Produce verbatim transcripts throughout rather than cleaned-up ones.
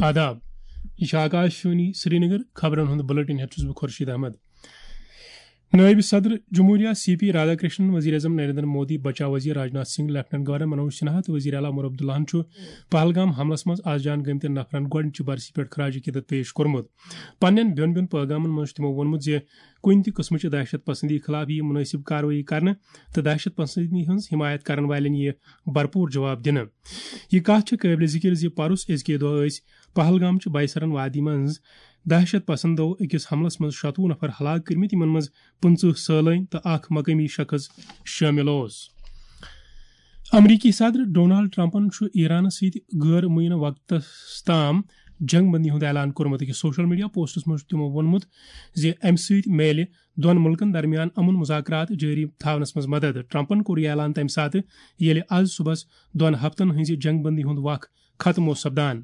آداب، یہِ چھِ آکاش وانی سرینگر۔ خبرن ہُنٛد بلیٹن ہٮ۪تھ چھُس بہٕ خورشید احمد۔ نٲیِب صدر جمہوریہ سی پی رادھا کرشنن، وزیر اعظم نریندر مودی، بچاو وزیر راجناتھ سنگھ، لیفٹیننٹ گورنر منوج سنہا تہٕ وزیر اعلیٰ عمر عبداللہن چھُ پہلگام حملس منٛز از جان گٔمتٮ۪ن نفرن گۄڈٕنِچہِ برسی پٮ۪ٹھ خراج عقیدت پیش کوٚرمُت۔ پننٮ۪ن بیوٚن بیوٚن پٲغامن منٛز چھُ تِمو ووٚنمُت زِ کُنہِ تہِ قٕسمٕچہِ دہشت پسندی خلاف یِیہِ مُنٲسِب کاروٲیی کرنہٕ تہٕ دہشت پسندی ہٕنٛز حمایت کرن والٮ۪ن یِیہِ بھرپوٗر جواب دِنہٕ۔ یہِ کتھ چھےٚ قٲبلِ ذِکِر زِ پرُس أزکہِ دۄہ ٲسۍ پہلگام چہِ بایسرن وادی منٛز دہشت پسندو أکِس حملس منٛز شتوُہ نفر ہلاک کٔرمٕتۍ، یِمن منٛز پٕنٛژٕہ سٲلٲنۍ تہٕ اکھ مقٲمی شخص شٲمِل اوس۔ امریکی صدر ڈونالڈ ٹرمپن چھُ ایرانس سۭتۍ غٲر معینہ وقتس تام جنگ بندی ہُنٛد اعلان کوٚرمُت۔ أکِس سوشل میڈیا پوسٹس منٛز چھُ تِمو ووٚنمُت زِ امہِ سۭتۍ میلہِ دۄن مُلکن درمیان امن مذاکرات جٲری تھاونس منٛز مدد۔ ٹرمپن کوٚر یہِ اعلان تمہِ ساتہٕ، ییٚلہِ از صُبحس دۄن ہفتن ہٕنٛزِ جنگ بندی ہُنٛد وق ختم اوس سپدان۔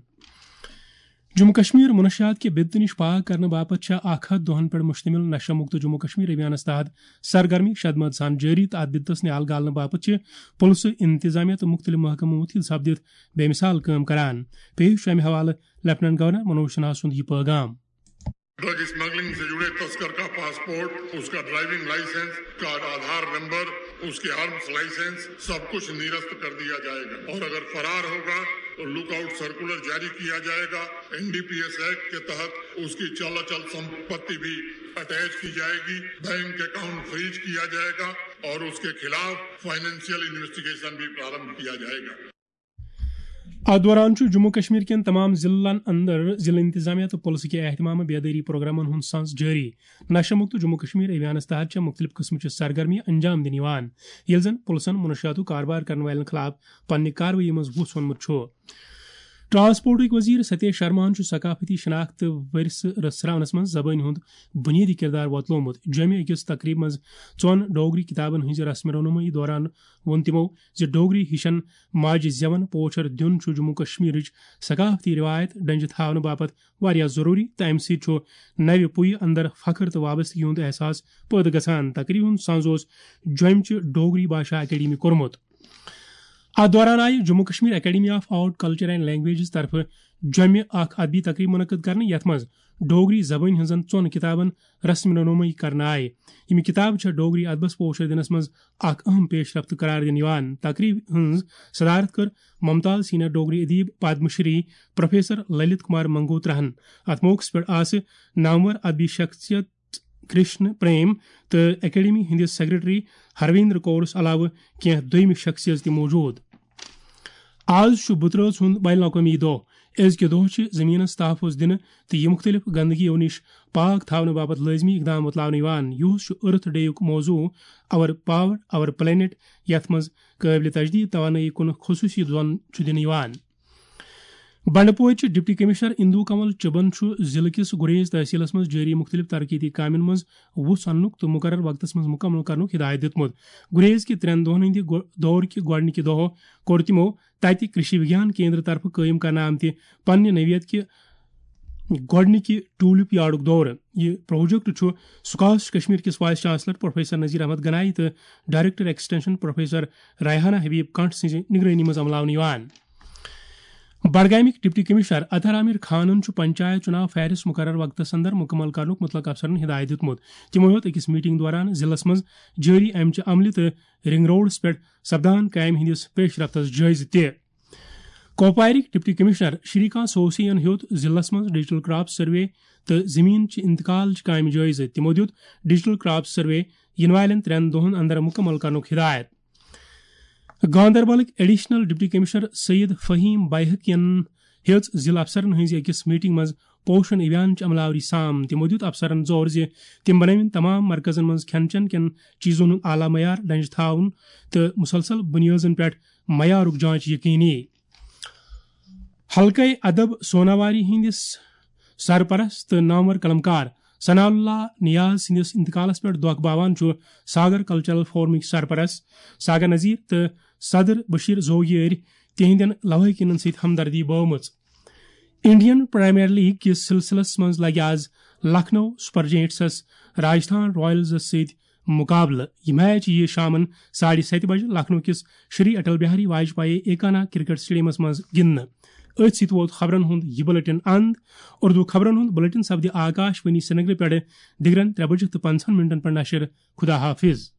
جموں کشمیر منشیات کہِ بدتہٕ نِش پاک کرنہٕ باپتھ چھےٚ اکھ ہتھ دۄہن پٮ۪ٹھ مشتمل نشہ مکت جموں کشمیر ابھیانس تحت سرگرمی شدمد سان جٲری، تہٕ اتھ بدتس نیال گالنہٕ باپتھ چھِ پُلسہٕ، انتظامیہ تہٕ مختلف محکمہٕ مُتحد سپدِتھ بے مثال کٲم کران۔ پیش چھُ امہِ حوالہٕ لیفٹیننٹ گورنر منوج سنہا سُنٛد یہِ پٲغام۔ ڈرگ اسمگلنگ سے جڑے تسکر کا پاسپورٹ، اس کا ڈرائیونگ لائسنس، اس کا آدھار نمبر، اس کے آرمز لائسنس، سب کچھ نرست کر دیا جائے گا، اور اگر فرار ہوگا تو لک آؤٹ سرکولر جاری کیا جائے گا۔ N D P S act کے تحت اس کی چل اچل سمپتی بھی اٹیچ کی جائے گی، بینک اکاؤنٹ فریز کیا جائے گا اور اس کے خلاف فائنینشیل انویسٹیگیشن بھی پرارمبھ کیا جائے گا۔ اتھ دوران چھُ جموں کشمیر کٮ۪ن تمام ضلعن اندر ضلع انتظامیہ تہٕ پُلسہٕ کہِ اہتمام بیدٲری پروگرامن ہُنٛد سانس جٲری۔ نشہ مکت جموں کشمیر ابھیانس تحت چھےٚ مختلف قٕسمٕچہِ سرگرمی انجام دِنہٕ یِوان، ییٚلہِ زن پُلسن منشیاتُک کاربار کرن والٮ۪ن خلاف پننہِ کاروٲیی منٛز وُژھ ووٚنمُت چھُ۔ ٹرانسپورٹٕکۍ وزیر ستیش شرماہن چھُ ثقافتی شناخت تہٕ ورثہٕ رژھراونس منٛز زبٲنۍ ہُنٛد بُنیٲدی کردار وۄتلومُت۔ جوٚمہِ أکِس تقریبہِ منٛز ژۄن ڈوگری کِتابن ہٕنٛزِ رسم رونمٲیی دوران ووٚن تِمو زِ ڈوگری ہِشن ماجہِ زیون پوچھر دیُن چھُ جموں کشمیرٕچ ثقافتی رِوایت ڈنجہِ تھاونہٕ باپتھ واریاہ ضروٗری، تہٕ امہِ سۭتۍ چھُ نوِ پُیہِ اندر فخر تہٕ وابستگی ہُنٛد احساس پٲدٕ گژھان۔ تقریبہِ ہُنٛد سنز اوس جوٚمہِ چہِ ڈوگری بھاشا اکیڈمی کوٚرمُت۔ اتھ دوران آیہِ Jammu Kashmir academy of art, culture and languages طرفہٕ جوٚمہِ اکھ ادبی تقریب منعقد کرنہٕ، یتھ منٛز ڈوگری زبٲنۍ ہٕنٛزن ژۄن کتابن رسم نمٲیی کرنہٕ آیہِ۔ یِم کتابہٕ چھےٚ ڈوگری ادبس پوشر دِنس منٛز اکھ اہم پیش رفت قرار دِنہٕ یِوان۔ تقریب ہٕنٛز صدارت کٔر ممتاز سینئر ڈوگری ادیب پدم شری پروفیسر للت کمار منگوتراہن۔ اتھ موقعس پٮ۪ٹھ آسہٕ نامور ادبی شخصیت کرشن پریم تہٕ اکیڈمی ہٕنٛدِس سیکرٹری ہرویندر کورس علاوٕ کینٛہہ دوٚیمہِ شخصیژ تہِ موجود۔ آز چھُ بُترٲژ ہُنٛد بین الاقوٲمی دۄہ۔ أزکہِ دۄہ چھِ زٔمیٖنَس تحفظ دِنہٕ تہٕ یہِ مُختٔلِف گنٛدگیو نِش پاک تھاونہٕ باپتھ لٲزمی اقدام وۄتلاونہٕ یِوان۔ یُہُس چھُ ارتھ ڈے یُک موضوع، Our Power, Our Planet، یَتھ منٛز قٲبلِ تجدید توانٲیی کُن خصوٗصی زون چھُ دِنہٕ یِوان۔ بنڈپورچہِ ڈپٹی کمشنر اندو کنول چبن چھُ ضلعہٕ کِس گریز تحصیلس منٛز جٲری مُختٔلِف ترقیتی کامٮ۪ن منٛز وُژھ اننُک تہٕ مُقرر وقتس منٛز مُکمل کرنُک ہدایت دِیُتمُت۔ گریز کہِ ترٛٮ۪ن دۄہن ہٕنٛدِ گۄ-، دورٕ کہِ گۄڈٕنِکہِ دۄہ کوٚر تِمو تَتہِ کرشی وگیان کیندر طرفہٕ قٲیِم کرنہٕ آمتہِ پننہِ نوعیت کہِ گۄڈٕنِکہِ ٹولپ یارڈُک دورٕ۔ یہِ پروجیکٹ چھُ سکاش کشمیر کِس vice chancellor professor Nazir Ahmad Ganai تہٕ director extension professor Rehana Habib Kanth سٕنٛزِ نگرٲنی منٛز عملاونہٕ یِوان۔ بڈگامٕکۍ ڈپٹی کمشنر اطہر عامر خانن چھُ پنچایت چُناو فہرست مقرر وقتس اندر مُکمل کرنُک مُتلق افسرن ہدایت دیُتمُت۔ تِمو ہیوٚت أکِس میٹنگ دوران ضلعس منٛز جٲری امچہِ عملہِ تہٕ رنگ روڈس پٮ۪ٹھ سپدان کامہِ ہٕنٛدِس پیش رفتس جٲیزٕ تہِ۔ کۄپوارٕکۍ ڈپٹی کمشنر شری کانت سوسیَن ہیوٚت ضلعس منٛز ڈیجیٹل کراپ سروے تہٕ زمین چہِ انتقال چہِ کامہِ جٲیزٕ۔ تِمو دیُت ڈیجیٹل کراپ سروے یِنہٕ والٮ۪ن ترٛٮ۪ن دۄہن اندر مُکمل کرنُک ہدایت۔ گاندربلٕکۍ additional deputy commissioner Syed Faheem بایحقین ہیٔژ ضلع افسرن ہٕنٛزِ أکِس میٹنگ منٛز پوشن ابھیان چہِ عملہ آوری سام۔ تِمو دیُت افسرن زور زِ تِم بنٲوِن تمام مرکزن منٛز کھٮ۪ن چٮ۪ن کٮ۪ن چیزن ہُنٛد اعلیٰ معیار ڈنجہِ تھاوُن تہٕ مسلسل بنیٲدن پٮ۪ٹھ معیارُک جانچ یقینی۔ حلقہ ادب سوناواری ہٕنٛدِس سرپرست تہٕ نامور قلمکار ثناء اللہ نیاز سٕنٛدِس انتقالس پٮ۪ٹھ دۄکھ باوان چھُ ساگر کلچرل فورمٕکۍ سرپرست ساگر نذیر تہٕ صدر بشیر زوگیٲرۍ تِہنٛدٮ۪ن لوٲحقینن سۭتۍ ہمدردی بٲومٕژ۔ انڈین پریمیئر لیگ کِس سلسلس منٛز لگہِ آز لکھنؤ سپر جائنٹسس راجستھان رائلزس سۭتۍ مقابلہٕ۔ یہِ میچ یِیہِ شامَن ساڑِ ستہِ بجہِ لکھنؤ کِس شری اٹل بہاری واجپایی ایکانا کرکٹ سٹیڈیمَس منٛز گِنٛدنہٕ۔ أتھۍ سۭتۍ ووت خبرن ہُنٛد یہِ بلیٹن اند۔ اردو خبرن ہُنٛد بلیٹن سپدِ آکاش وانی سرینگرٕ پٮ۪ٹھٕ دِگرن ترٛےٚ بجہِ تہٕ پنٛژاہن منٹن پٮ۪ٹھ نشر۔ خدا حافظ۔